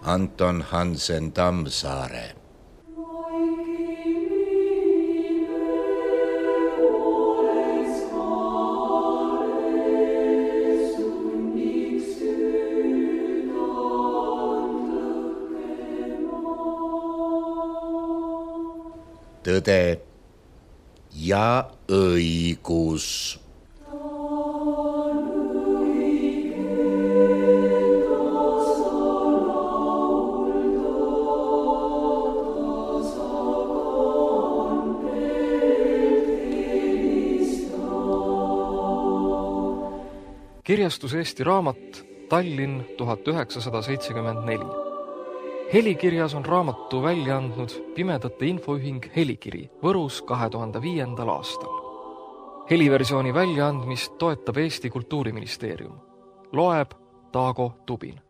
Anton Hansen Tammsaare. Tõde ja õigus. Kirjastus Eesti Raamat, Tallinn 1974. Helikirjas on raamatu välja andnud Pimedate Infoühing Helikiri Võrus 2005. aastal. Heliversiooni väljaandmist toetab Eesti Kultuuriministeerium. Loeb Taago Tubin.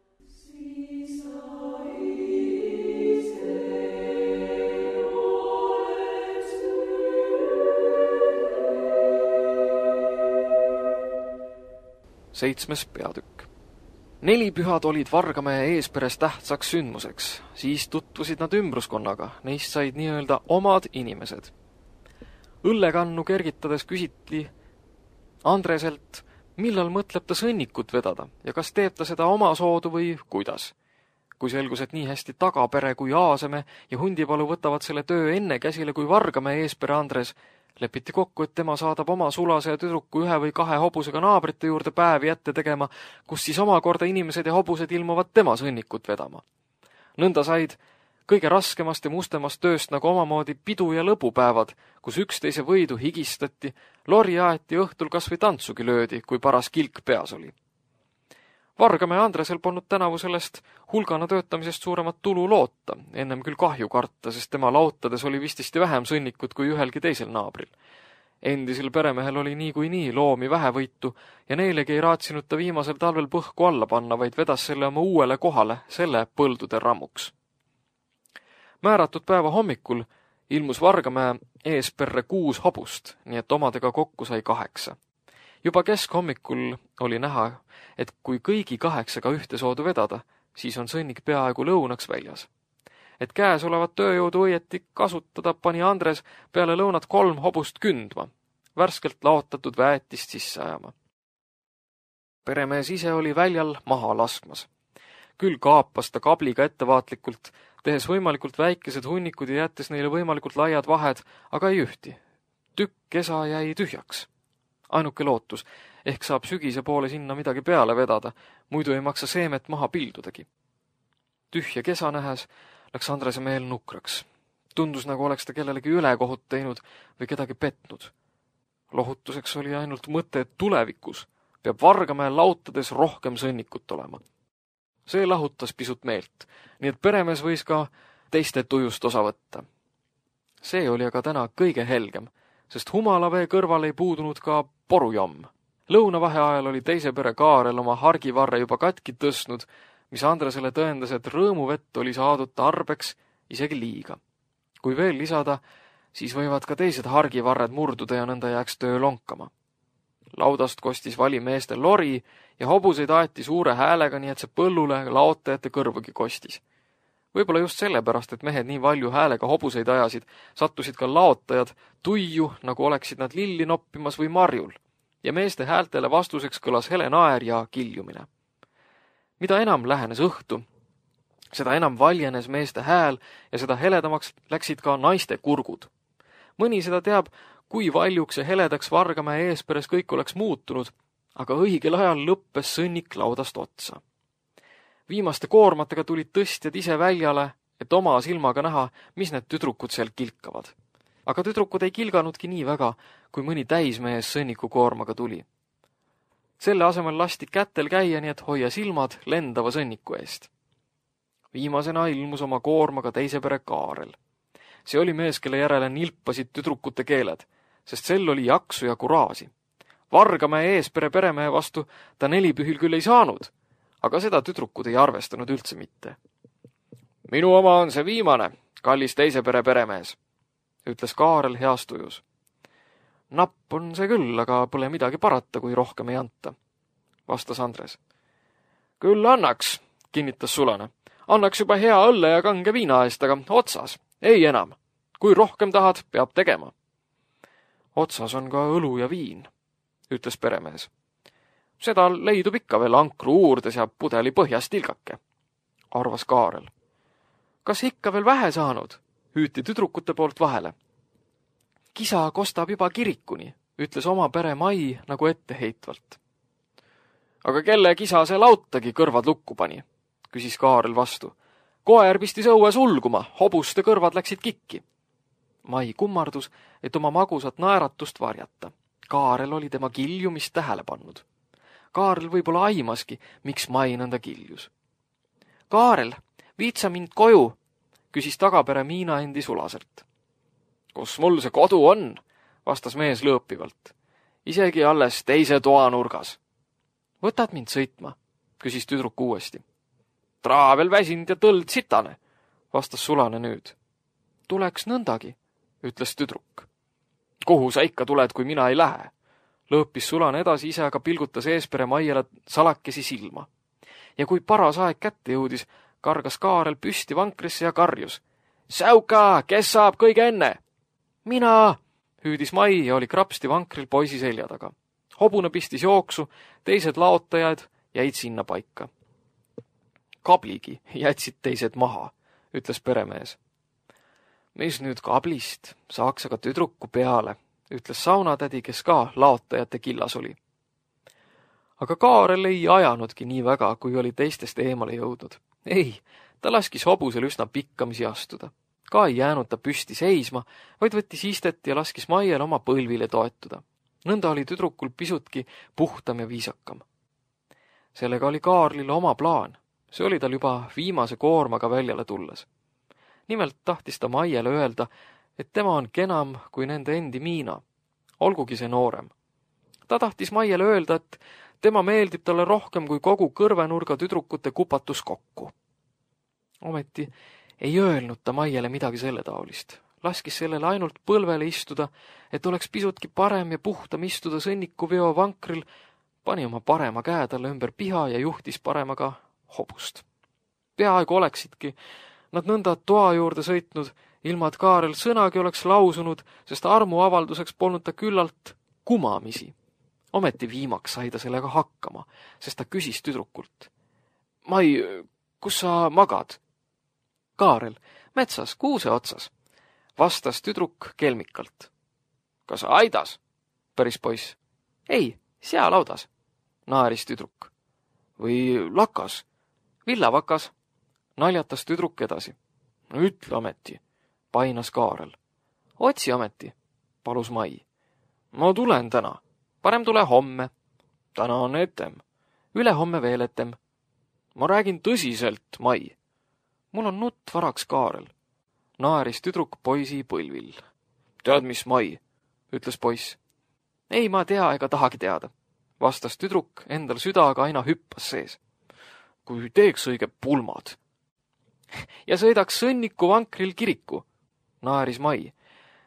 Seitsmes peatükk. 4 pühad olid Vargamäe Eesperes tähtsaks sündmuseks, siis tutvusid nad ümbruskonnaga, neist said nii-öelda omad inimesed. Õllekannu kergitades küsiti Andreselt, millal mõtleb ta sõnnikut vedada ja kas teeb ta seda oma soodu või kuidas. Kui selgus, et nii hästi Tagapere kui Aaseme ja Hundipalu võtavad selle töö enne käsile kui Vargamäe Eespere Andres, lepiti kokku, et tema saadab oma sulase ja tüdruku 1 või 2 hobusega naabrite juurde päevi ette tegema, kus siis omakorda inimesed ja hobused ilmuvad tema sõnnikut vedama. Nõnda said kõige raskemast ja mustemast tööst nagu omamoodi pidu- ja lõbupäevad, kus üksteise võidu higistati, lori aeti õhtul kas või tantsugi löödi, kui paras kilk peas oli. Vargamäe Andresel polnud tänavu sellest hulgana töötamisest suuremat tulu loota, ennem küll kahju karta, sest tema lautades oli vististi vähem sõnnikut kui ühelgi teisel naabril. Endisel peremehel oli nii loomi vähevõitu ja neilegi ei raatsinud ta viimasel talvel põhku alla panna, vaid vedas selle oma uuele kohale, selle põldude rammuks. Määratud päeva hommikul ilmus Vargamäe Eesperre 6 hobust, nii et omadega kokku sai 8. Juba keskhommikul oli näha, et kui kõigi 8 ühte soodu vedada, siis on sõnnik peaaegu lõunaks väljas. Et käesolevat tööjõudu õieti kasutada, pani Andres peale lõunat 3 hobust kündma, värskelt laotatud väetist sisse ajama. Peremees ise oli väljal maha laskmas. Küll kaapas ta kabliga ettevaatlikult, tehes võimalikult väikesed hunnikud ja jättes neile võimalikult laiad vahed, aga ei ühti. Tükk kesa jäi tühjaks. Ainuke lootus, ehk saab sügise poole sinna midagi peale vedada, muidu ei maksa seemet maha pildudagi. Tühja kesa nähes läks Andrese meel nukraks. Tundus, nagu oleks ta kellelegi ülekohut teinud või kedagi petnud. Lohutuseks oli ainult mõte, et tulevikus peab Vargamäe lautades rohkem sõnnikut olema. See lahutas pisut meelt, nii et peremees võis ka teiste tujust osa võtta. See oli aga täna kõige helgem, sest humalavee kõrval ei puudunud ka porujomm. Lõunavaheajal oli teise pere Kaarel oma hargivarre juba katki tõstnud, mis Andresele tõendas, et rõõmuvett oli saadud tarbeks isegi liiga. Kui veel lisada, siis võivad ka teised hargivarred murduda ja nõnda jääks töö lonkama. Laudast kostis valimeeste lori ja hobuseid aeti suure häälega, nii et see põllule laotajate kõrvugi kostis. Võib-olla just sellepärast, et mehed nii valju häälega hobuseid ajasid, sattusid ka laotajad tuiu, nagu oleksid nad lilli noppimas või marjul, ja meeste häältele vastuseks kõlas hele naer ja kiljumine. Mida enam lähenes õhtu, seda enam valjenes meeste hääl ja seda heledamaks läksid ka naiste kurgud. Mõni seda teab, kui valjuks ja heledaks Vargamäe Eesperes kõik oleks muutunud, aga õigel ajal lõppes sõnnik laudast otsa. Viimaste koormatega tulid tõstjad ise väljale, et oma silmaga näha, mis need tüdrukud seal kilkavad. Aga tüdrukud ei kilganudki nii väga, kui mõni täismees sõnniku koormaga tuli. Selle asemel lasti kätel käia, nii et hoia silmad lendava sõnniku eest. Viimasena ilmus oma koormaga teise pere Kaarel. See oli mees, kelle järele nilpasid tüdrukute keeled, sest sel oli jaksu ja kuraasi. Vargamäe Eespere peremehe vastu ta 4 pühil küll ei saanud, aga seda tüdrukud ei arvestanud üldse mitte. Minu oma on see viimane, kallis teise pere peremees, ütles Kaarel heas tujus. Napp on see küll, aga pole midagi parata, kui rohkem ei anta, vastas Andres. Küll annaks, kinnitas sulane, Annaks juba hea õlle ja kange viina eest, aga otsas. Ei enam. Kui rohkem tahad, peab tegema. Otsas on ka õlu ja viin, ütles peremees. Seda leidub ikka veel ankru uurdes ja pudeli põhjas tilgake, arvas Kaarel. Kas ikka veel vähe saanud? Hüüti tüdrukute poolt vahele. Kisa kostab juba kirikuni, ütles oma pere Mai nagu etteheitvalt. Aga kelle kisa see lautagi kõrvad lukku pani, küsis Kaarel vastu. Koer pistis õues ulguma, hobuste kõrvad läksid kikki. Mai kummardus, et oma magusat naeratust varjata. Kaarel oli tema kiljumist tähele pannud. Kaarel võib-olla aimaski, miks Mai nõnda kiljus. Kaarel, viitsa mind koju, küsis tagapere Miina endi Sulasert. Kus mul see kodu on, vastas mees lõõpivalt. Isegi alles teise toanurgas. Võtad mind sõitma, küsis tüdruk uuesti. Traavel väsinud ja tõld sitane, vastas Sulane nüüd. Tuleks nõndagi, ütles tüdruk. Kuhu sa ikka tuled, kui mina ei lähe? Lõõpis Sulane edasi, ise aga pilgutas eespere Maiele salakesi silma. Ja kui paras aeg kätte jõudis, kargas Kaarel püsti vankrisse ja karjus. Säuka, kes saab kõige enne? Mina, hüüdis Mai ja oli krapsti vankril poisi selja taga. Hobune pistis jooksu, teised laotajad jäid sinna paika. Kabligi jätsid teised maha, ütles peremees. Mis nüüd kablist, saaks aga tüdruku peale, ütles saunatädi, kes ka laotajate killas oli. Aga Kaarel ei ajanudki nii väga, kui oli teistest eemale jõudnud. Ei, ta laskis hobusel üsna pikkamisi astuda. Ka ei jäänud ta püsti seisma, vaid võttis istet ja laskis Maiel oma põlvile toetuda. Nõnda oli tüdrukul pisutki puhtam ja viisakam. Sellega oli Kaarlil oma plaan. See oli tal juba viimase koormaga väljale tulles. Nimelt tahtis ta Maiele öelda, et tema on kenam kui nende endi Miina, olgugi see noorem. Ta tahtis Maiele öelda, et tema meeldib talle rohkem kui kogu kõrvenurga tüdrukute kupatus kokku. Ometi ei öelnud ta Maiele midagi selle taolist. Laskis sellele ainult põlvele istuda, et oleks pisutki parem ja puhtam istuda sõnnikuveo vankril, pani oma parema käe talle ümber piha ja juhtis paremaga hobust. Peaaegu oleksidki nad nõnda toa juurde sõitnud, ilma et Kaarel sõnagi oleks lausunud, sest armuavalduseks polnud ta küllalt kumamisi. Ometi viimaks sai ta sellega hakkama, sest ta küsis tüdrukult. Mai, kus sa magad? Kaarel, metsas, kuuse otsas, vastas tüdruk kelmikalt. Kas aidas? Päris poiss. Ei, sealaudas, naeris tüdruk. Või lakas? Villavakas, naljatas tüdruk edasi. No ütle ometi, painas Kaarel. Otsi ometi, palus Mai. Ma tulen täna, parem tule homme. Täna on etem, ülehomme veel etem. Ma räägin tõsiselt, Mai. Mul on nutt varaks, Kaarel, naeris tüdruk poisi põlvil. Tead, mis, Mai, ütles poiss. Ei, ma tea ega tahagi teada, vastas tüdruk, endal südaga aina hüppas sees. Kui teeks õige pulmad. Ja sõidaks sõnniku vankril kiriku, naeris Mai.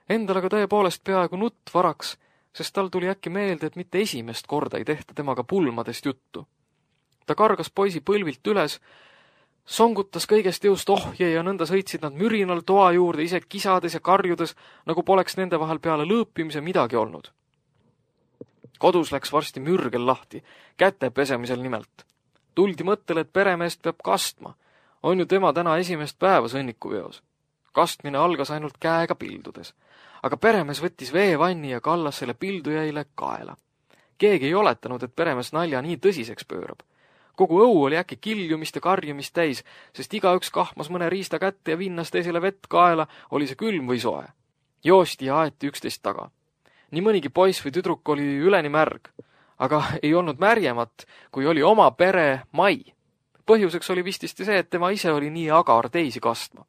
Endal aga tõepoolest peaaegu nutt varaks, sest tal tuli äkki meelde, et mitte esimest korda ei tehta temaga pulmadest juttu. Ta kargas poisi põlvilt üles, songutas kõigest jõust ohje ja nõnda sõitsid nad mürinal toa juurde, ise kisades ja karjudes, nagu poleks nende vahel peale lõõpimise midagi olnud. Kodus läks varsti mürgel lahti, käte pesemisel nimelt. Tuldi mõttele, et peremeest peab kastma. On ju tema täna esimest päeva sõnnikuveos. Kastmine algas ainult käega pildudes. Aga peremees võttis veevanni ja kallas selle pildujäile kaela. Keegi ei oletanud, et peremees nalja nii tõsiseks pöörab. Kogu õu oli äkki kiljumist ja karjumist täis, sest igaüks kahmas mõne riista kätte ja vinnas teisele vett kaela, oli see külm või soe. Joosti ja aeti üksteist taga. Nii mõnigi poiss või tüdruk oli üleni märg, aga ei olnud märjemat, kui oli oma pere Mai. Põhjuseks oli vististi see, et tema ise oli nii agar teisi kastma.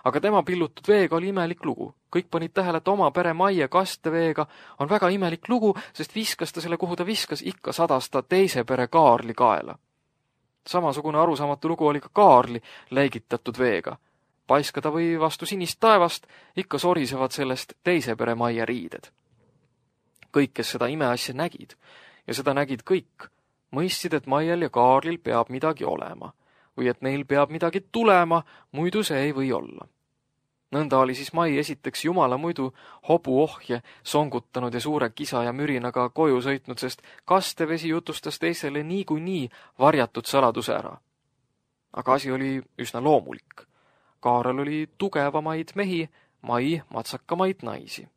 Aga tema pillutud veega oli imelik lugu. Kõik panid tähele, et oma pere Mai kasteveega on väga imelik lugu, sest viskas ta selle, kuhu ta viskas, ikka sadas ta teise pere Kaarli kaela. Samasugune arusaamatu lugu oli ka Kaarli läigitatud veega. Paiskada või vastu sinist taevast, ikka sorisevad sellest teise pere Mai riided. Kõik, kes seda imeasja nägid, ja seda nägid kõik, mõistsid, et Maiel ja Kaarlil peab midagi olema. või et neil peab midagi tulema, muidu see ei või olla. Nõnda oli siis Mai esiteks jumala muidu hobuohje songutanud ja suure kisa ja mürinaga koju sõitnud, sest kastevesi jutustas teisele niikuinii varjatud saladuse ära. Aga asi oli üsna loomulik. Kaarel oli tugevamaid mehi, Mai matsakamaid naisi.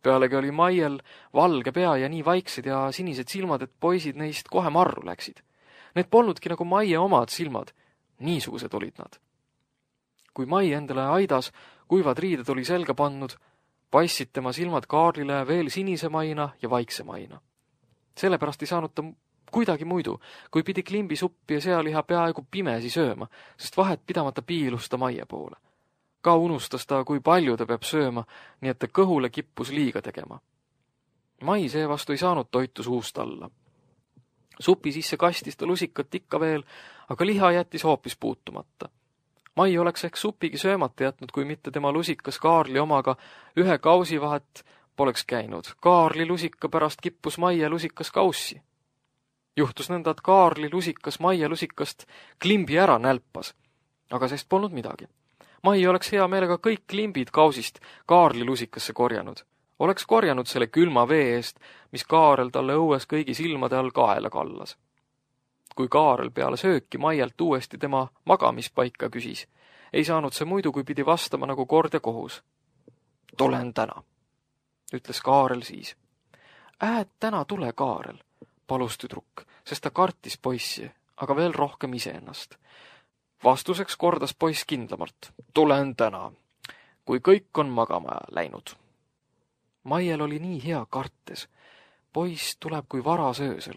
Pealegi oli Maiel valge pea ja nii vaiksed ja sinised silmad, et poisid neist kohe marru läksid. Need polnudki nagu Maie omad silmad, niisugused olid nad. Kui Mai endale aidas kuivad riided oli selga pannud, paissid tema silmad Kaarlile veel sinisemaina ja vaiksemaina. Sellepärast ei saanud ta kuidagi muidu, kui pidi klimbisuppi ja sealiha peaaegu pimesi sööma, sest vahet pidamata piilus ta Maie poole. Ka unustas ta, kui palju ta peab sööma, nii et ta kõhule kippus liiga tegema. Mai seevastu ei saanud toitu suust alla. Supi sisse kastis ta lusikat ikka veel, aga liha jättis hoopis puutumata. Mai oleks ehk supigi söömata jätnud, kui mitte tema lusikas Kaarli omaga ühe kausi vahet poleks käinud. Kaarli lusika pärast kippus Maie lusikas kaussi. Juhtus nõnda, et Kaarli lusikas Maie lusikast klimbi ära nälpas, aga sest polnud midagi. Mai oleks hea meelega kõik klimbid kausist Kaarli lusikasse korjanud. Oleks korjanud selle külma vee eest, mis Kaarel talle õues kõigi silmade all kaela kallas. Kui Kaarel peale sööki Maielt uuesti tema magamispaika küsis, ei saanud see muidu, kui pidi vastama nagu kord ja kohus. Tulen täna, ütles Kaarel siis. Täna tule, Kaarel, palus tüdruk, sest ta kartis poissi, aga veel rohkem iseennast. Vastuseks kordas poiss kindlamalt. Tulen täna, kui kõik on magama läinud. Maiel oli nii hea kartes. Poiss tuleb kui varas öösel.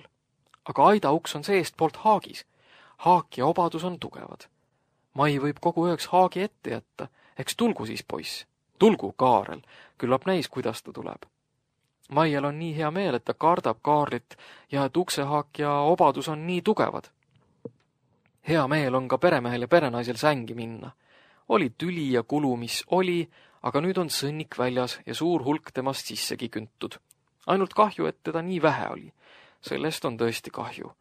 Aga aida uks on seest poolt haagis. Haak ja obadus on tugevad. Mai võib kogu ööks haagi ette jätta. Eks tulgu siis poiss. Tulgu, Kaarel. Küllap näis, kuidas ta tuleb. Maiel on nii hea meel, et ta kardab Kaarlit ja et uksehaak ja obadus on nii tugevad. Hea meel on ka peremehel ja perenaisel sängi minna. Oli tüli ja kulu, mis oli, aga nüüd on sõnnik väljas ja suur hulk temast sissegi küntud. Ainult kahju, et teda nii vähe oli. Sellest on tõesti kahju.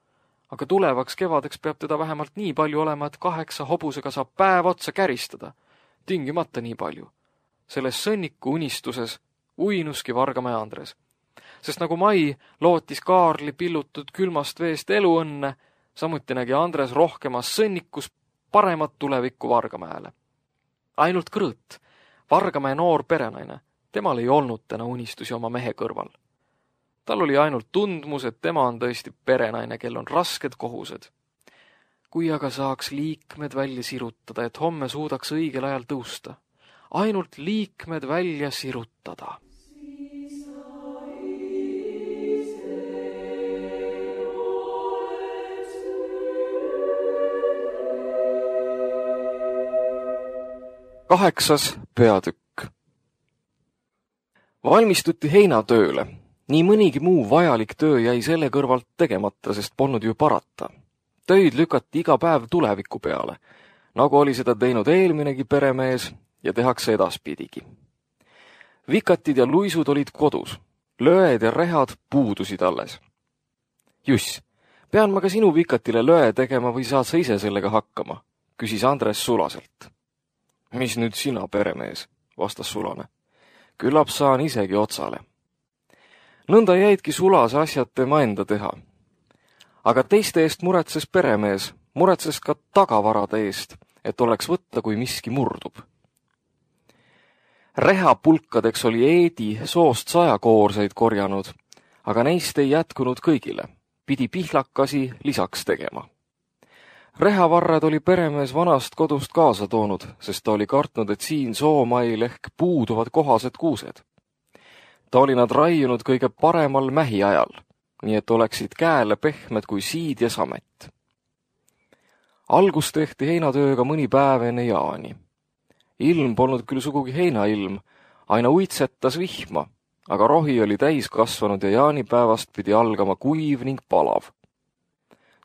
Aga tulevaks kevadeks peab teda vähemalt nii palju olema, et 8 hobusega saab päev otsa käristada. Tingimata nii palju. Selles sõnniku unistuses uinuski Vargamäe Andres. Sest nagu Mai lootis Kaarli pillutud külmast veest eluõnne, samuti nägi Andres rohkemas sõnnikus paremat tulevikku Vargamäele. Ainult Krõõt, Vargamäe noor perenaine, temal ei olnud täna unistusi oma mehe kõrval. Tal oli ainult tundmus, et tema on tõesti perenaine, kel on rasked kohused. Kui aga saaks liikmed välja sirutada, et homme suudaks õigel ajal tõusta. Ainult liikmed välja sirutada. Kaheksas peatükk. Valmistuti heinatööle. Nii mõnigi muu vajalik töö jäi selle kõrvalt tegemata, sest polnud ju parata. Töid lükati iga päev tuleviku peale, nagu oli seda teinud eelminegi peremees ja tehakse edaspidigi. Vikatid ja luisud olid kodus, lööed ja rehad puudusid alles. Juss, pean ma ka sinu vikatile löö tegema või saad sa ise sellega hakkama, küsis Andres Sulaselt. Mis nüüd sina, peremees, vastas Sulane. Küllap saan isegi otsale. Nõnda jäidki Sulase asjad tema enda teha. Aga teiste eest muretses peremees, muretses ka tagavarade eest, et oleks võtta, kui miski murdub. Rehapulkadeks oli Eedi soost 100 koorseid korjanud, aga neist ei jätkunud kõigile, pidi pihlakasi lisaks tegema. Rehavarred oli peremees vanast kodust kaasa toonud, sest ta oli kartnud, et siin Soomail ehk puuduvad kohased kuused. Ta oli nad raiunud kõige paremal mähi ajal, nii et oleksid käele pehmed kui siid ja samet. Algus tehti heinatööga mõni päev enne jaani. Ilm polnud küll sugugi heinailm, aina uitsetas vihma, aga rohi oli täis kasvanud ja jaanipäevast pidi algama kuiv ning palav.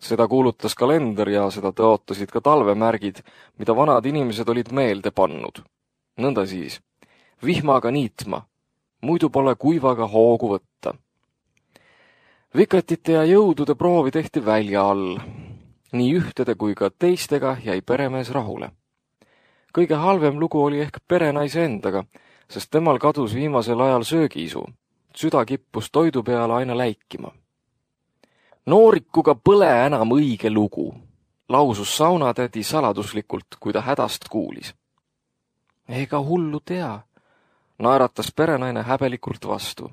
Seda kuulutas kalender ja seda tõotasid ka talvemärgid, mida vanad inimesed olid meelde pannud. Nõnda siis, vihmaga niitma, muidu pole kuivaga hoogu võtta. Vikatite ja jõudude proovi tehti välja all. Nii ühtede kui ka teistega jäi peremees rahule. Kõige halvem lugu oli ehk perenaise endaga, sest temal kadus viimasel ajal söögiisu. Süda kippus toidu peale aina läikima. Noorikuga põle enam õige lugu, lausus saunatädi saladuslikult, kui ta hädast kuulis. Ega hullu tea, naeratas perenaine häbelikult vastu.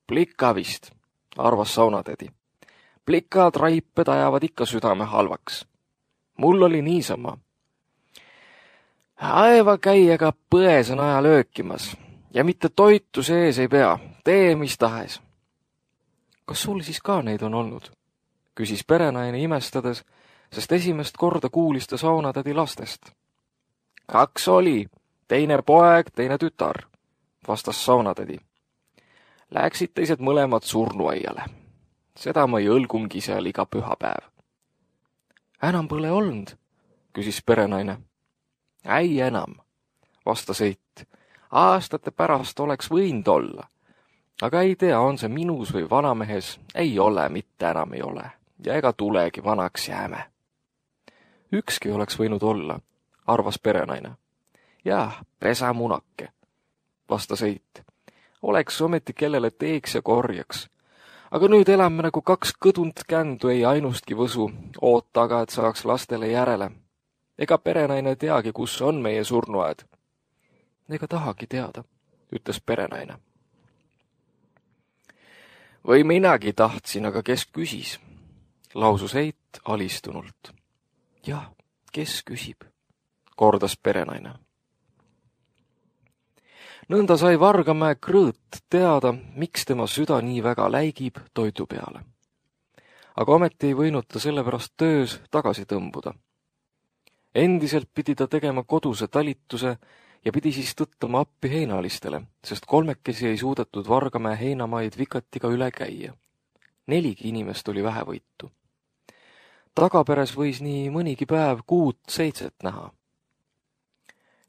Plika vist, arvas saunatädi. Plikad raiped ajavad ikka südame halvaks. Mul oli niisama. Aeva käiega pões on aja löökimas ja mitte toitu sees ei pea, tee mis tahes. Kas sul siis ka neid on olnud? Küsis perenaine imestades, sest esimest korda kuulis ta saunatädi lastest. 2 oli, teine poeg, teine tütar, vastas saunatädi. Läksid teised mõlemad surnuaiale. Seda ma ei õlgumgi seal iga pühapäev. Enam pole olnud, küsis perenaine. Ei enam, vastas Eit. Aastate pärast oleks võinud olla. Aga ei tea, on see minus või vanamehes, ei ole, mitte enam ei ole. Ja ega tulegi, vanaks jääme. Ükski oleks võinud olla, arvas perenaine. Jah, pesamunake, vastas Eit. Oleks ometi kellele teeks ja korjaks. Aga nüüd elame nagu 2 kõdunt kändu, ei ainustki võsu, oota aga, et saaks lastele järele. Ega perenaine teagi, kus on meie surnuaed. Ega tahagi teada, ütles perenaine. Või minagi tahtsin, aga kes küsis? Lausus Eit alistunult. Jah, kes küsib? Kordas perenaine. Nõnda sai Vargamäe Krõõt teada, miks tema süda nii väga läigib toidu peale. Aga ometi ei võinud ta sellepärast töös tagasi tõmbuda. Endiselt pidi ta tegema koduse talituse ja pidi siis tõttama appi heinalistele, sest 3 ei suudetud Vargamäe heinamaid vikatiga üle käia. 4 inimest oli vähevõitu. Tagaperes võis nii mõnigi päev 6-7 näha.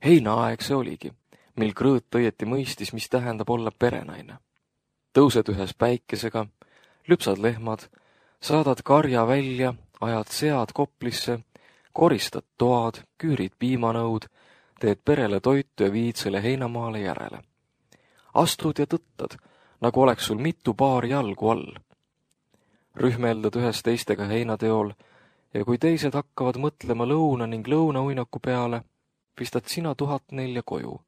Heinaaeg see oligi, mil Krõõt õieti mõistis, mis tähendab olla perenaine. Tõused ühes päikesega, lüpsad lehmad, saadad karja välja, ajad sead koplisse, koristad toad, küürid piimanõud, teed perele toitu ja viid selle heinamaale järele. Astud ja tõttad, nagu oleks sul mitu paari jalgu all. Rühmeldad ühes teistega heinateol ja kui teised hakkavad mõtlema lõuna ning lõunauinaku peale, pistad sina 1004 koju,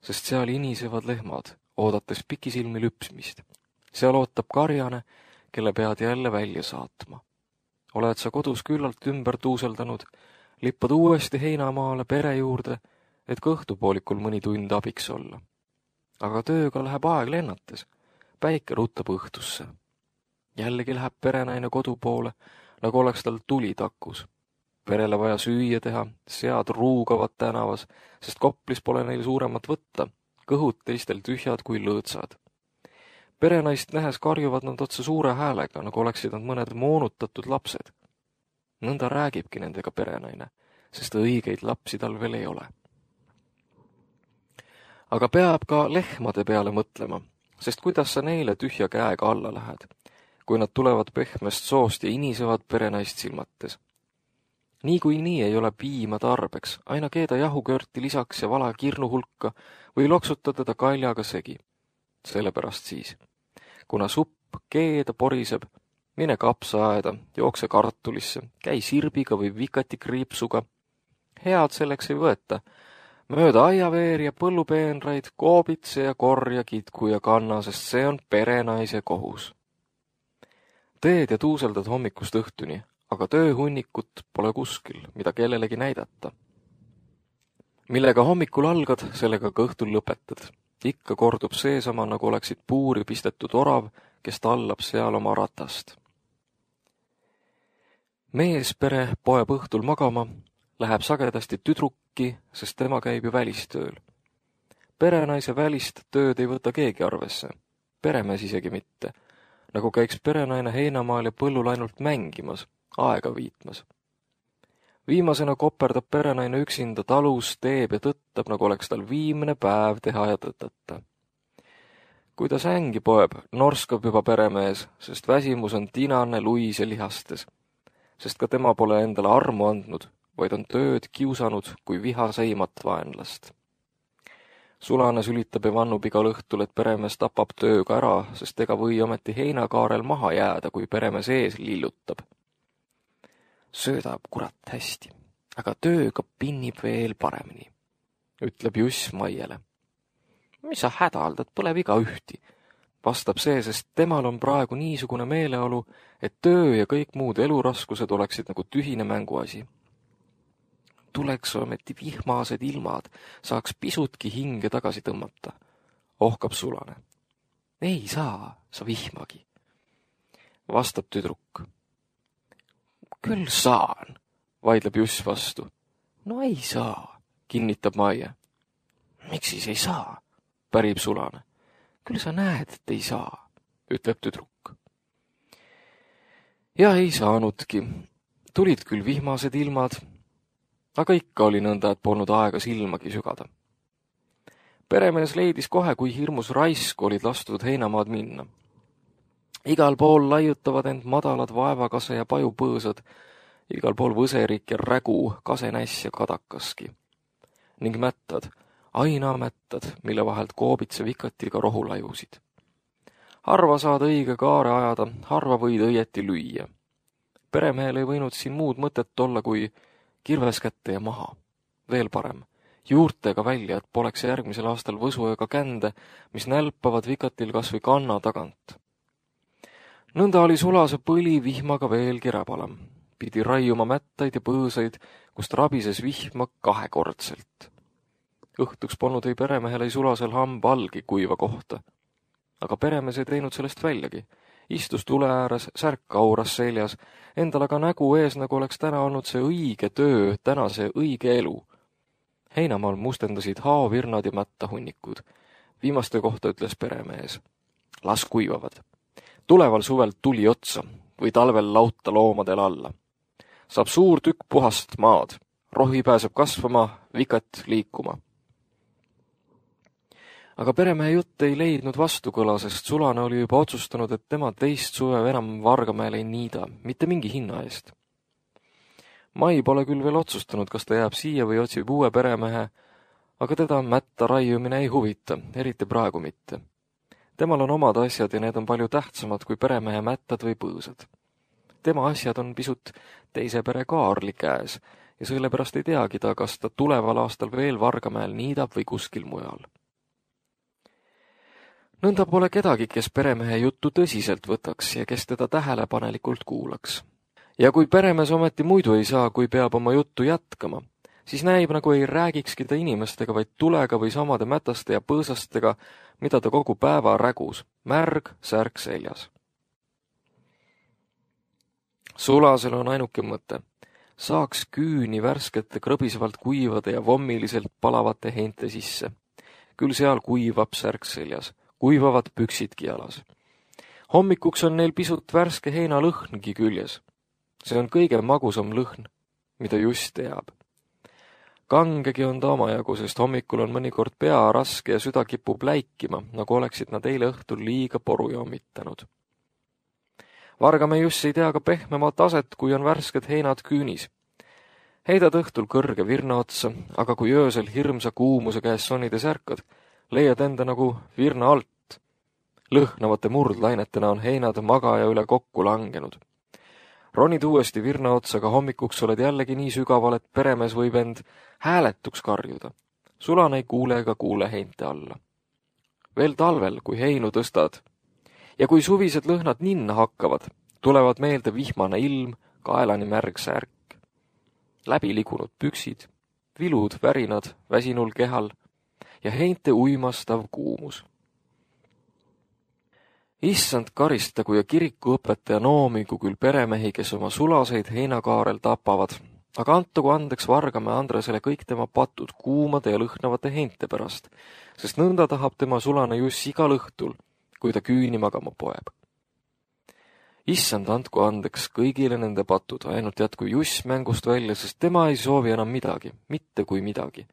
sest seal inisevad lehmad, oodates pikisilmi lüpsmist. Seal ootab karjane, kelle pead jälle välja saatma. Oled sa kodus küllalt ümber tuuseldanud, lippad uuesti heinamaale pere juurde, et ka õhtupoolikul mõni tund abiks olla. Aga tööga läheb aeg lennates, päike ruttab õhtusse. Jällegi läheb perenaine kodu poole, nagu oleks tal tuli takus. Perele vaja süüa teha, sead ruugavad tänavas, sest Koplis pole neil suuremat võtta, kõhud teistel tühjad kui lõõtsad. Perenaist nähes karjuvad nad otsa suure häälega, nagu oleksid nad mõned moonutatud lapsed. Nõnda räägibki nendega perenaine, sest õigeid lapsi tal veel ei ole. Aga peab ka lehmade peale mõtlema, sest kuidas sa neile tühja käega alla lähed, kui nad tulevad pehmest soost ja inisevad perenaist silmates. Nii ei ole piima tarbeks, aina keeda jahukörti lisaks ja vala kirnu hulka või loksuta teda kaljaga segi. Sellepärast siis, kuna supp keeda poriseb, mine kapsaaeda, jookse kartulisse, käi sirbiga või vikati kriipsuga. Head selleks ei võeta. Mööda aiaveer ja põllupeenraid, koobitse ja korja, kitku ja kanna, sest see on perenaise kohus. Teed ja tuuseldad hommikust õhtuni, aga tööhunnikut pole kuskil, mida kellelegi näidata. Millega hommikul algad, sellega ka õhtul lõpetad. Ikka kordub seesama, nagu oleksid puuri pistetud orav, kes tallab seal oma ratast. Meespere poeb õhtul magama, läheb sagedasti tüdrukki, sest tema käib ju välistööl. Perenaise välist tööd ei võta keegi arvesse, peremees isegi mitte, nagu käiks perenaine heinamaal ja põllul ainult mängimas, aega viitmas. Viimasena koperdab perenaine üksinda talus, teeb ja tõttab, nagu oleks tal viimne päev teha ja tõtata. Kui ta sängi poeb, norskab juba peremees, sest väsimus on tinane, luis ja lihastes. sest ka tema pole endale armu andnud, vaid on tööd kiusanud kui vihaseimat vaenlast. Sulane sülitab ja vannub igal õhtul, et peremees tapab tööga ära, sest ega või ometi heinakaarel maha jääda, kui peremees ees lillutab. Söödab kurat hästi, aga tööga pinnib veel paremini, ütleb Juss Maiele. Mis sa hädaldad, pole viga ühti, vastab see, sest temal on praegu niisugune meeleolu, et töö ja kõik muud eluraskused oleksid nagu tühine mänguasi. Tuleks ometi vihmased ilmad, saaks pisutki hinge tagasi tõmmata, ohkab Sulane. Ei saa sa vihmagi, vastab tüdruk. Küll saan, vaidleb Juss vastu. No ei saa, kinnitab Maie. Miks siis ei saa, pärib Sulane. Küll sa näed, et ei saa, ütleb tüdruk. Ja ei saanudki. Tulid küll vihmased ilmad, aga ikka oli nõnda, et polnud aega silmagi sügada. Peremees leidis kohe, kui hirmus raisku olid lastud heinamaad minna. Igal pool laiutavad end madalad vaevakase ja pajupõõsad, igal pool võserik ja rägu, kasenäss ja kadakaski. Ning mättad, aina mättad, mille vahelt koobitsev ikatiga rohu lajusid. Harva saad õige kaare ajada, harva võid õieti lüüa. Peremehel ei võinud siin muud mõtet olla, kui kirves kätte ja maha. Veel parem, juurtega välja, et poleks järgmisel aastal võsu ega kände, mis nälpavad vikatil kas või kanna tagant. Nõnda oli sulase põli vihmaga veelgi räbalam. Pidi raiuma mättaid ja põõsaid, kust rabises vihma kahekordselt. Õhtuks polnud ei peremehel ei sulasel hamba allgi kuiva kohta. Aga peremees ei teinud sellest väljagi. Istus tule ääres, särk auras seljas, endal aga nägu ees, nagu oleks täna olnud see õige töö, täna see õige elu. Heinamaal mustendasid haavirnad ja mättahunnikud. Viimaste kohta ütles peremees. Las kuivavad. Tuleval suvel tuli otsa või talvel lauta loomadel alla. Saab suur tükk puhast maad. Rohi pääseb kasvama, vikat liikuma. Aga peremehe jutt ei leidnud vastukõla, sest Sulane oli juba otsustanud, et tema teist suve enam Vargamäel ei niida, mitte mingi hinna eest. Mai pole küll veel otsustanud, kas ta jääb siia või otsib uue peremehe, aga teda mätta raiumine ei huvita, eriti praegu mitte. Temal on omad asjad ja need on palju tähtsamad kui peremehe mättad või põõsad. Tema asjad on pisut teise pere Kaarli käes ja sellepärast ei teagi ta, kas ta tuleval aastal veel Vargamäel niidab või kuskil mujal. Nõnda pole kedagi, kes peremehe juttu tõsiselt võtaks ja kes teda tähelepanelikult kuulaks. Ja kui peremees ometi muidu ei saa, kui peab oma juttu jätkama, siis näib, nagu ei räägikski ta inimestega, vaid tulega või samade mätaste ja põõsastega, mida ta kogu päeva rägus, märg, särk seljas. Sulasel on ainuke mõte. Saaks küüni värskete krõbisevalt kuivade ja vommiliselt palavate heinte sisse. Küll seal kuivab särk seljas. Kuivavad püksidki jalas. Hommikuks on neil pisut värske heina lõhngi küljes. See on kõige magusam lõhn, mida just teab. Kangegi on ta omajagu, sest hommikul on mõnikord pea raske ja süda kipub läikima, nagu oleksid nad eile õhtul liiga poru joomitanud. Vargamäe just ei tea ka pehmemat aset, kui on värsked heinad küünis. Heidad õhtul kõrge virna otsa, aga kui öösel hirmsa kuumuse käes sonides ärkad, leiad enda nagu virna alt. Lõhnavate murdlainetena on heinad magaja üle kokku langenud. Ronid uuesti virna otsaga hommikuks oled jällegi nii sügaval, et peremees võib end hääletuks karjuda. Sulane ei kuule ega kuule heinte alla. Veel talvel, kui heinu tõstad ja kui suvised lõhnad ninna hakkavad, tulevad meelde vihmane ilm, kaelani märg särk. Läbi ligunud püksid, vilud värinad väsinul kehal ja heinte uimastav kuumus. Issand karistagu ja kirikuõpetaja noomigu küll peremehi, kes oma sulaseid heinakaarel tapavad, aga antagu andeks Vargamäe Andresele kõik tema patud kuumade ja lõhnavate heinte pärast, sest nõnda tahab tema Sulane Juss igal õhtul, kui ta küüni magama poeb. Issand andku andeks kõigile nende patud, ainult jätku Juss mängust välja, sest tema ei soovi enam midagi, mitte kui midagi.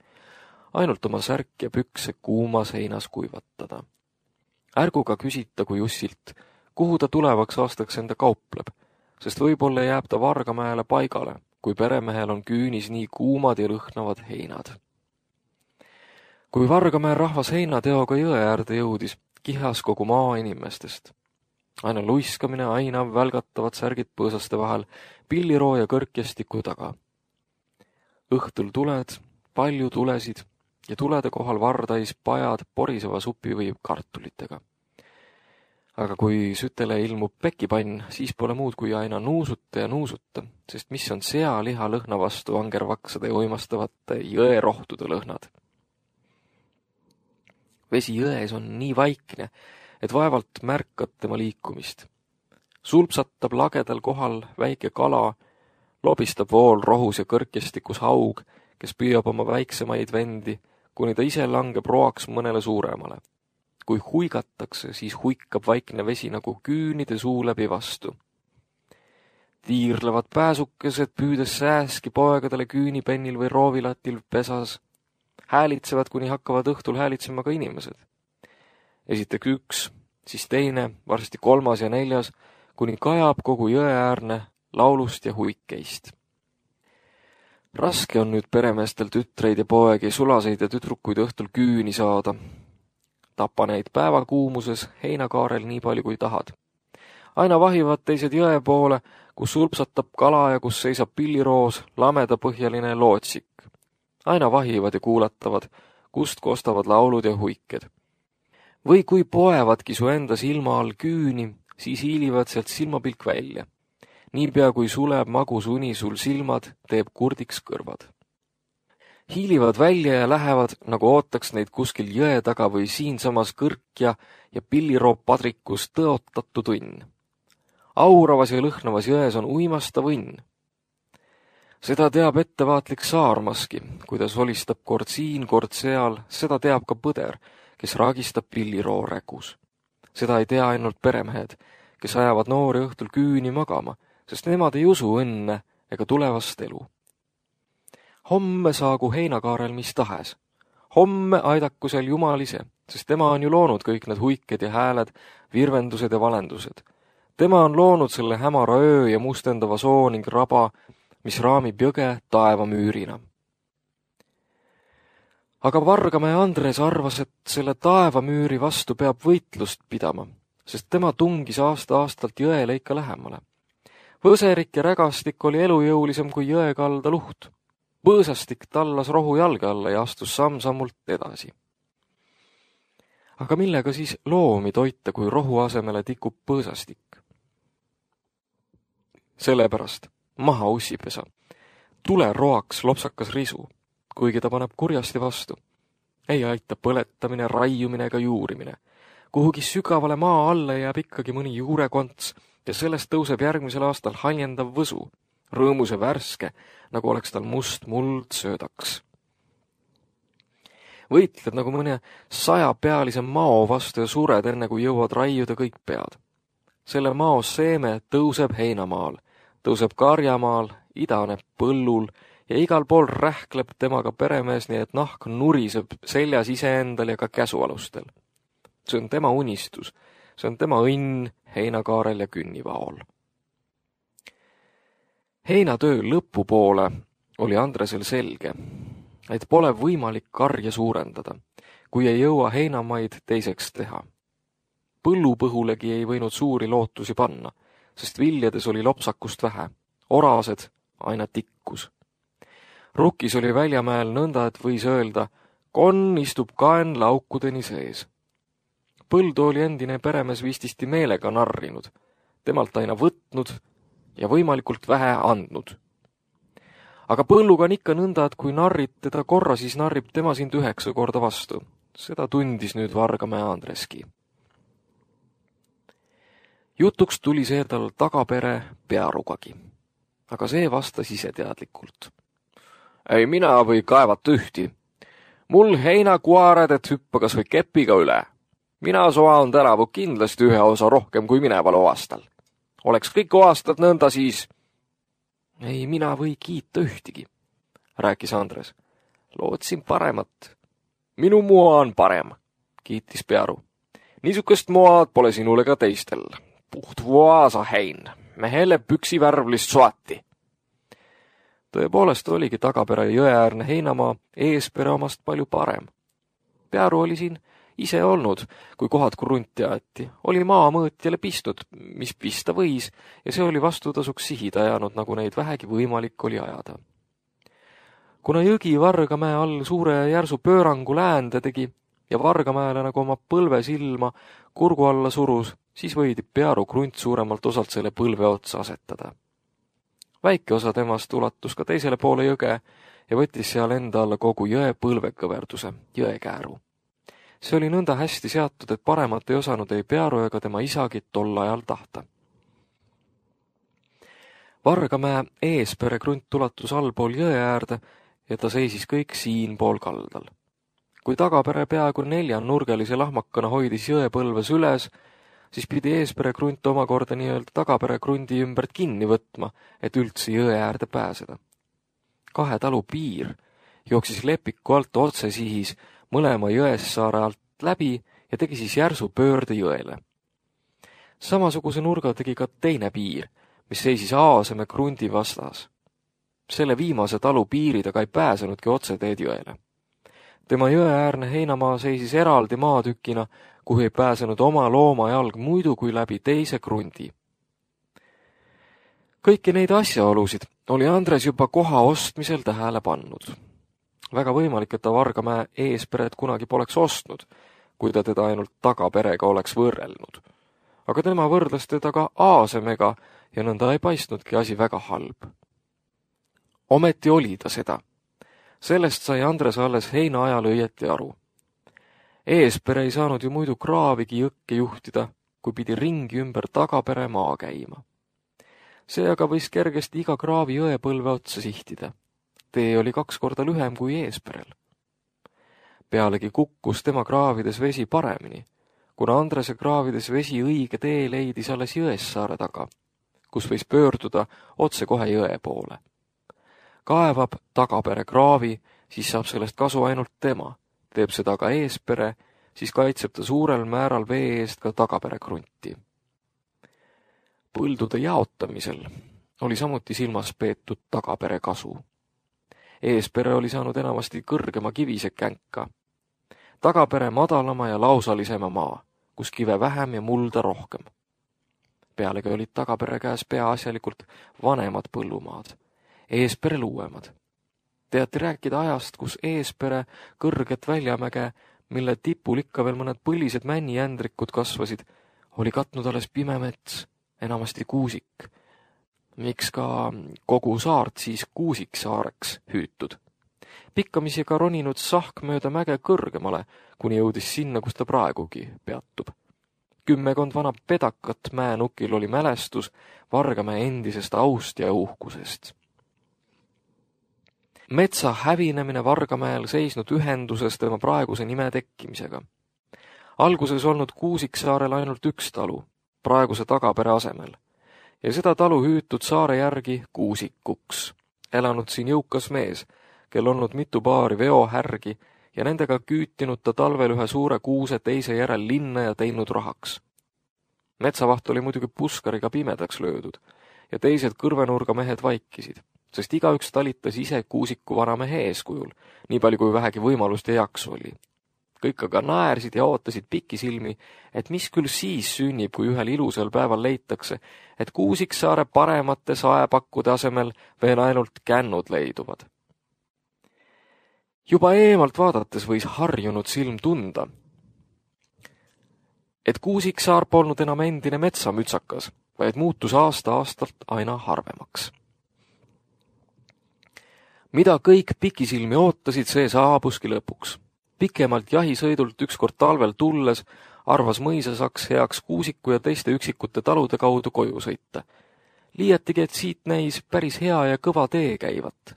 Ainult oma särk ja pükse kuumas heinas kuivatada. Ärgu ka küsitagu Jussilt, kuhu ta tulevaks aastaks enda kaupleb. sest võib-olla jääb ta Vargamäele paigale, kui peremehel on küünis nii kuumad ja lõhnavad heinad. Kui Vargamäe rahvas heinateoga jõe äärde jõudis, kihas kogu maa inimestest. Aina luiskamine, aina välgatavad särgid põõsaste vahel, pilliroo ja kõrkjestiku taga. Õhtul tuled, palju tulesid ja tulede kohal vardais pajad poriseva supi või kartulitega. Aga kui sütele ilmub pekipann, siis pole muud kui aina nuusuta ja nuusuta, sest mis on sealiha lõhna vastu angervaksade ja uimastavate jõerohtude lõhnad. Vesi jões on nii vaikne, et vaevalt märkad tema liikumist. Sulpsatab lagedal kohal väike kala, lobistab vool rohus ja kõrkjestikus haug, kes püüab oma väiksemaid vendi, kuni ta ise langeb roaks mõnele suuremale. Kui huigatakse, siis huikab vaikne vesi nagu küünide suu läbi vastu. Tiirlevad pääsukesed, püüdes sääski poegadele küünipennil või roovilatil pesas. Häälitsevad, kuni hakkavad õhtul häälitsema ka inimesed. Esiteks üks, siis teine, varsti kolmas ja neljas, kuni kajab kogu jõeäärne laulust ja huikeist. Raske on nüüd peremeestel tütreid ja poegi, sulaseid ja tüdrukuid õhtul küüni saada. Tapa neid päevakuumuses heinakaarel nii palju kui tahad. Aina vahivad teised jõe poole, kus sulpsatab kala ja kus seisab pilliroos lamedapõhjaline lootsik. Aina vahivad ja kuulatavad, kust kostavad laulud ja huiked. Või kui poevadki su enda silma all küüni, siis hiilivad sealt silmapilk välja. Niipea kui suleb magus uni sul silmad, teeb kurdiks kõrvad. Hiilivad välja ja lähevad, nagu ootaks neid kuskil jõe taga või siinsamas kõrkja ja pilliroo padrikus tõotatu tunn. Auravas ja lõhnavas jões on uimastav õnn. Seda teab ettevaatlik saarmaski, kuidas holistab kord siin, kord seal, seda teab ka põder, kes raagistab pilliroo rägus. Seda ei tea ainult peremehed, kes ajavad noori õhtul küüni magama, sest nemad ei usu õnne ega tulevast elu. Homme saagu heinakaarel mis tahes. Homme aidaku seal Jumal ise, sest tema on ju loonud kõik need huiked ja hääled, virvendused ja valendused. Tema on loonud selle hämara öö ja mustendava soo ning raba, mis raamib jõge taevamüürina. Aga Vargamäe Andres arvas, et selle taevamüüri vastu peab võitlust pidama, sest tema tungis aasta-aastalt jõele ikka lähemale. Võserik ja rägastik oli elujõulisem kui jõekalda luht. Põõsastik tallas rohu jalge alla ja astus samm-sammult edasi. Aga millega siis loomi toita, kui rohu asemele tikub põõsastik? Sellepärast maha ussipesa. Tule roaks lopsakas risu, kuigi ta paneb kurjasti vastu. Ei aita põletamine, raiumine ega juurimine. Kuhugi sügavale maa alla jääb ikkagi mõni juurekonts ja sellest tõuseb järgmisel aastal haljendav võsu, rõõmus ja värske, nagu oleks tal must muld söödaks. Võitled nagu mõne 100-pealise mao vastu ja sured enne, kui jõuad raiuda kõik pead. Selle mao seeme tõuseb heinamaal, tõuseb karjamaal, idaneb põllul ja igal pool rähkleb temaga peremees, nii et nahk nuriseb seljas iseendal ja ka käsualustel. See on tema unistus, see on tema õnn heinakaarel ja künnivaol. Heinatöö lõpupoole oli Andresel selge, et pole võimalik karja suurendada, kui ei jõua heinamaid teiseks teha. Põllupõhulegi ei võinud suuri lootusi panna, sest viljades oli lopsakust vähe, orased aina tikkus. Rukkis oli Väljamäel nõnda, et võis öelda, konn istub kaen laukudeni sees. Põldu oli endine peremees vististi meelega narrinud, temalt aina võtnud ja võimalikult vähe andnud. Aga põlluga on ikka nõnda, et kui narrid teda korra, siis narrib tema sind 9 korda vastu. Seda tundis nüüd Vargamäe Andreski. Jutuks tuli see tal tagapere Pearugagi, aga see vastas iseteadlikult. Ei mina või kaevata ühti. Mul heinakuared, et hüppa kas või kepiga üle. Mina soan tänavu kindlasti ühe osa rohkem kui mineval aastal. Oleks kõik aastad nõnda siis. Ei mina või kiita ühtigi, rääkis Andres. Lootsin paremat. Minu moa on parem, kiitis Pearu. Niisugust moad pole sinule ka teistel. Puht vaasa hein. mehele püksivärvlist soati. Tõepoolest oligi Tagapere jõeäärne heinamaa Eespere omast palju parem. Pearu oli siin ise olnud, kui kohad krunti aeti, oli maamõõtjale pistnud, mis pista võis, ja see oli vastutasuks sihida jäänud, nagu neid vähegi võimalik oli ajada. Kuna jõgi Vargamäe all suure ja järsu pöörangu läände tegi ja Vargamäele nagu oma põlve silma kurgu alla surus, siis võidi Pearu krunt suuremalt osalt selle põlve otsa asetada. Väike osa temast ulatus ka teisele poole jõge ja võttis seal enda alla kogu jõe põlvekõverduse, jõekääru. See oli nõnda hästi seatud, et paremat ei osanud ei Pearu ega tema isagi tol ajal tahta. Vargamäe Eespere krunt ulatus allpool jõe äärde ja ta seisis kõik siinpool kaldal. Kui Tagapere peaaegu 4-nurgelise lahmakana hoidis jõepõlves üles, siis pidi Eespere krunt omakorda nii-öelda Tagapere krundi ümbert kinni võtma, et üldse jõe äärde pääseda. 2 talu piir jooksis Lepiku alt otse sihis mõlema Jõessaare alt läbi ja tegi siis järsu pöörde jõele. Samasuguse nurga tegi ka teine piir, mis seisis Aaseme krundi vastas. Selle viimase talu piirid aga ei pääsenudki otseteed jõele. Tema jõeäärne heinamaa seisis eraldi maatükina, kuhu ei pääsenud oma loomajalg muidu kui läbi teise krundi. Kõiki neid asjaolusid oli Andres juba koha ostmisel tähele pannud. Väga võimalik, et ta Vargamäe Eesperet kunagi poleks ostnud, kui ta teda ainult Tagaperega oleks võrrelnud. Aga tema võrdles teda ka Aasemega ja nõnda ei paistnudki asi väga halb. Ometi oli ta seda. Sellest sai Andres alles heina ajal õieti aru. Eespere ei saanud ju muidu kraavigi jõkke juhtida, kui pidi ringi ümber Tagapere maa käima. See aga võis kergesti iga kraavi jõepõlve otsa sihtida. Tee oli 2 korda lühem kui Eesperel. Pealegi kukkus tema kraavides vesi paremini, kuna Andrese kraavides vesi õige tee leidis alles Jõessaare taga, kus võis pöörduda otse kohe jõe poole. Kaevab Tagapere kraavi, siis saab sellest kasu ainult tema. Teeb seda ka Eespere, siis kaitseb ta suurel määral vee eest ka Tagapere krunti. Põldude jaotamisel oli samuti silmas peetud Tagapere kasu. Eespere oli saanud enamasti kõrgema kivise känka. Tagapere madalama ja lausalisema maa, kus kive vähem ja mulda rohkem. Pealegi olid Tagapere käes peaasjalikult vanemad põllumaad. Eesperel uuemad. Teati rääkida ajast, kus Eespere kõrget väljamäge, mille tipul ikka veel mõned põlised männijändrikud kasvasid, oli katnud alles pime mets, enamasti kuusik. Miks ka kogu saart siis Kuusiksaareks hüütud. Pikkamisi ka roninud sahk mööda mäge kõrgemale, kuni jõudis sinna, kus ta praegugi peatub. 10 vana pedakat mäenukil oli mälestus Vargamäe endisest aust ja uhkusest. Metsa hävinemine Vargamäel seisnud ühenduses tema praeguse nime tekkimisega. Alguses olnud Kuusiksaarel ainult 1 talu, praeguse Tagapere asemel, ja seda talu hüütud saare järgi Kuusikuks. Elanud siin jõukas mees, kel olnud mitu paari veohärgi ja nendega küütinud ta talvel ühe suure kuuse teise järel linna ja teinud rahaks. Metsavaht oli muidugi puskariga pimedaks löödud ja teised kõrvenurga mehed vaikisid, sest igaüks talitas ise Kuusiku vanamehe eeskujul, nii palju kui vähegi võimalust ja jaksu oli. Kõik aga naersid ja ootasid pikisilmi, et mis küll siis sünnib, kui ühel ilusal päeval leitakse, et Kuusiksaare paremate saepakkude asemel veel ainult kännud leiduvad. Juba eemalt vaadates võis harjunud silm tunda, et Kuusiksaar polnud enam endine metsamütsakas, vaid muutus aasta-aastalt aina harvemaks. Mida kõik pikisilmi ootasid, see saabuski lõpuks. Pikemalt jahisõidult ükskord talvel tulles arvas mõisasaks heaks Kuusiku ja teiste üksikute talude kaudu koju sõita. Liiatigi, et siit näis päris hea ja kõva tee käivat.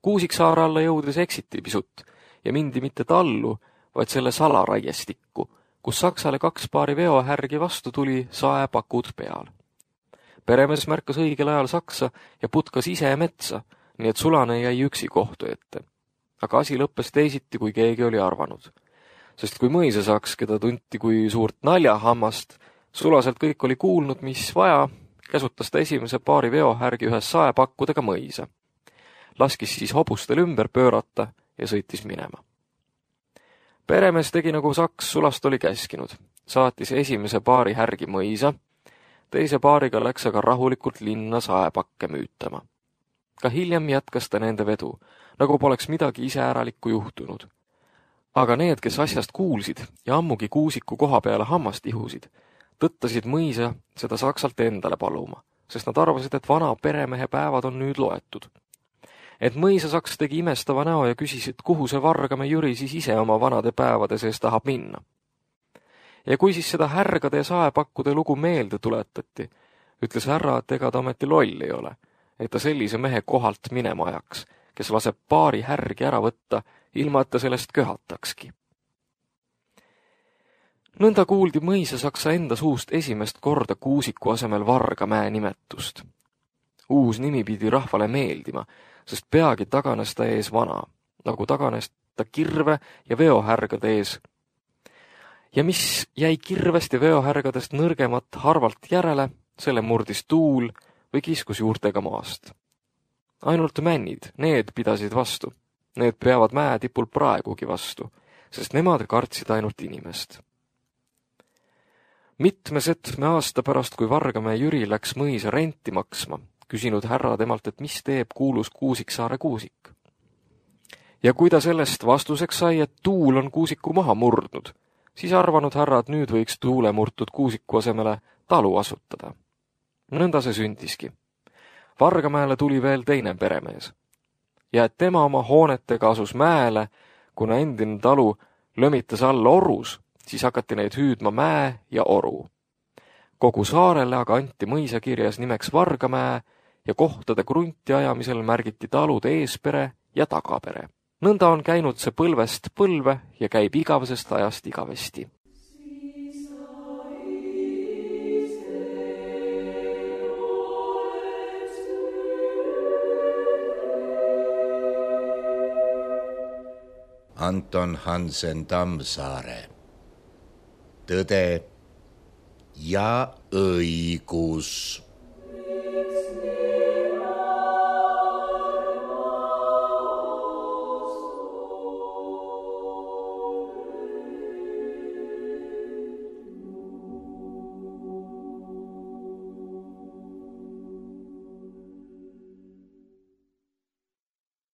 Kuusiksaare alla jõudes eksiti pisut ja mindi mitte tallu, vaid selle salaraiestikku, kus Saksale 2 paari veohärgi vastu tuli saepakud peal. Peremees märkas õigel ajal Saksa ja putkas ise metsa, nii et sulane jäi üksi kohtu ette. Aga asi lõppes teisiti, kui keegi oli arvanud. Sest kui mõisasaks, keda tunti kui suurt naljahammast, sulaselt kõik oli kuulnud, mis vaja, käsutas ta esimese paari veohärgi ühes saepakkudega mõisa. Laskis siis hobustel ümber pöörata ja sõitis minema. Peremees tegi nagu Saks sulast oli käskinud. Saatis esimese paari härgi mõisa, teise paariga läks aga rahulikult linna saepakke müütama. Ka hiljem jätkas ta nende vedu, nagu poleks midagi iseäralikku juhtunud. Aga need, kes asjast kuulsid ja ammugi Kuusiku koha peale hammast ihusid, tõttasid mõisa seda Saksalt endale paluma, sest nad arvasid, et vana peremehe päevad on nüüd loetud. Et mõisa Saks tegi imestava näo ja küsis, et kuhu see Vargame Jüri siis ise oma vanade päevade sees tahab minna. Ja kui siis seda härgade ja saepakkude lugu meelde tuletati, ütles härra, et ega ta ometi loll ei ole, et ta sellise mehe kohalt minema ajaks, kes laseb paari härgi ära võtta, ilma et ta sellest köhatakski. Nõnda kuuldi mõisa Saksa enda suust esimest korda Kuusiku asemel Vargamäe nimetust. Uus nimi pidi rahvale meeldima, sest peagi taganes ta ees vana, nagu taganes ta kirve ja veohärgade ees. Ja mis jäi kirvest ja veohärgadest nõrgemat harvalt järele, selle murdis tuul või kiskus juurtega maast. Ainult männid, need pidasid vastu. Need peavad mäetipul praegugi vastu, sest nemad kartsid ainult inimest. Mitmesetme aasta pärast, kui Vargamäe Jüri läks mõisa renti maksma, küsinud härra temalt, et mis teeb kuulus Kuusiksaare Kuusik. Ja kui ta sellest vastuseks sai, et tuul on Kuusiku maha murdnud, siis arvanud härra, et nüüd võiks tuule murtud Kuusiku asemele talu asutada. Nõnda see sündiski. Vargamäele tuli veel teine peremees. Ja et tema oma hoonetega asus mäele, kuna endine talu lömitas alla orus, siis hakati neid hüüdma Mäe ja Oru. Kogu saarele aga anti mõisakirjas nimeks Vargamäe ja kohtade krunti ajamisel märgiti talude eespere ja tagapere. Nõnda on käinud see põlvest põlve ja käib igavesest ajast igavesti. Anton Hansen Tammsaare. Tõde ja õigus.